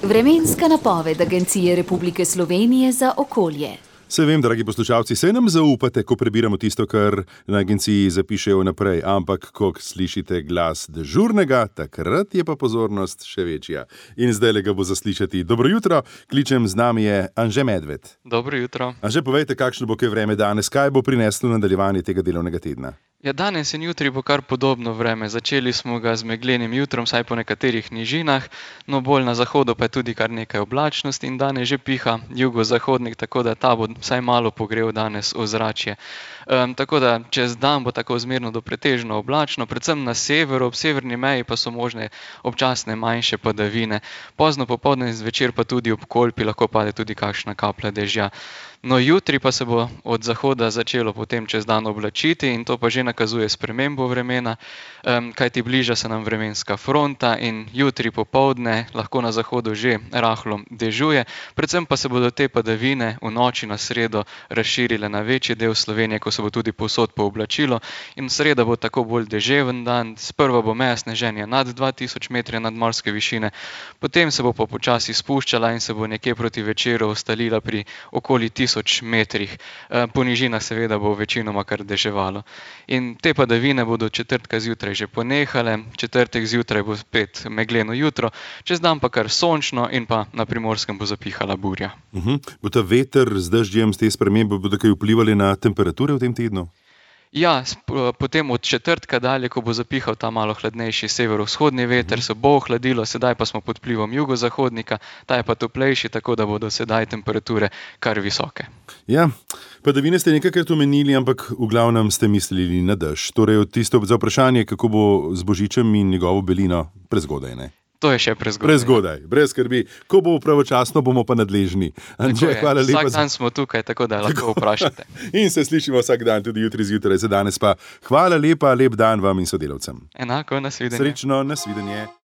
Vremenska napoved Agencije Republike Slovenije za okolje. Se vem, dragi poslušalci, saj nam zaupate, ko prebiramo tisto, kar na agenciji zapišejo naprej, ampak ko slišite glas dežurnega, takrat je pa pozornost še večja. In zdaj ga bo zaslišati. Dobro jutro, kličem, z nami je Anže Medved. Dobro jutro. Anže, povejte, kakšno bo kaj vreme danes, kaj bo prineslo nadaljevanje tega delovnega tedna? Ja, danes in jutri bo kar podobno vreme. Začeli smo ga z meglenim jutrom, saj po nekaterih nižinah, no bolj na zahodu pa je tudi kar nekaj oblačnosti in danes že piha jugozahodnik, tako da ta bo vsaj malo pogrel danes ozračje. Tako da čez dan bo tako zmerno do pretežno oblačno, predvsem na severu, ob severni meji pa so možne občasne manjše padavine. Pozno popoldne in zvečer pa tudi ob Kolpi lahko pade tudi kakšna kaplja dežja. No, jutri pa se bo od zahoda začelo potem čez dan oblačiti in to pa že nakazuje spremembo vremena, kajti bliža se nam vremenska fronta in jutri popoldne lahko na zahodu že rahlo dežuje, predvsem pa se bodo te padavine v noči na sredo razširile na večji del Slovenije, ko se bo tudi povsod pooblačilo in sreda bo tako bolj deževen dan, sprva bo meja sneženja nad 2000 metrov nadmorske višine, potem se bo pa počasi spuščala in se bo nekje proti večeru ustalila pri okoli 1000 metrih. Po nižinah seveda bo večinoma kar deževalo. In te padavine bodo četrtka zjutraj že ponehale, četrtek zjutraj bo spet megleno jutro, čez dan pa kar sončno in pa na Primorskem bo zapihala burja. Bo ta veter z dežjem, s te spremembe bodo kaj vplivali na temperature v tem tednu? Ja, potem od četrtka dalje, ko bo zapihal ta malo hladnejši severovzhodni veter, se bo ohladilo, sedaj pa smo pod vplivom jugozahodnika, ta je pa toplejši, tako da bodo sedaj temperature kar visoke. Ja, padavine ste nekajkrat omenili, ampak v glavnem ste mislili na dež. Torej, tisto za vprašanje, kako bo z Božičem in njegovo belino, prezgodaj, ne? To je še prezgodaj. Prezgodaj, brez skrbi. Ko bo pravočasno, bomo pa nadležni. Anže, hvala lepa. Vsak dan smo tukaj, tako da lahko vprašate. In se slišimo vsak dan, tudi jutri zjutraj. Za danes pa hvala lepa, lep dan vam in sodelavcem. Enako, nasvidenje. Srečno, nasvidenje.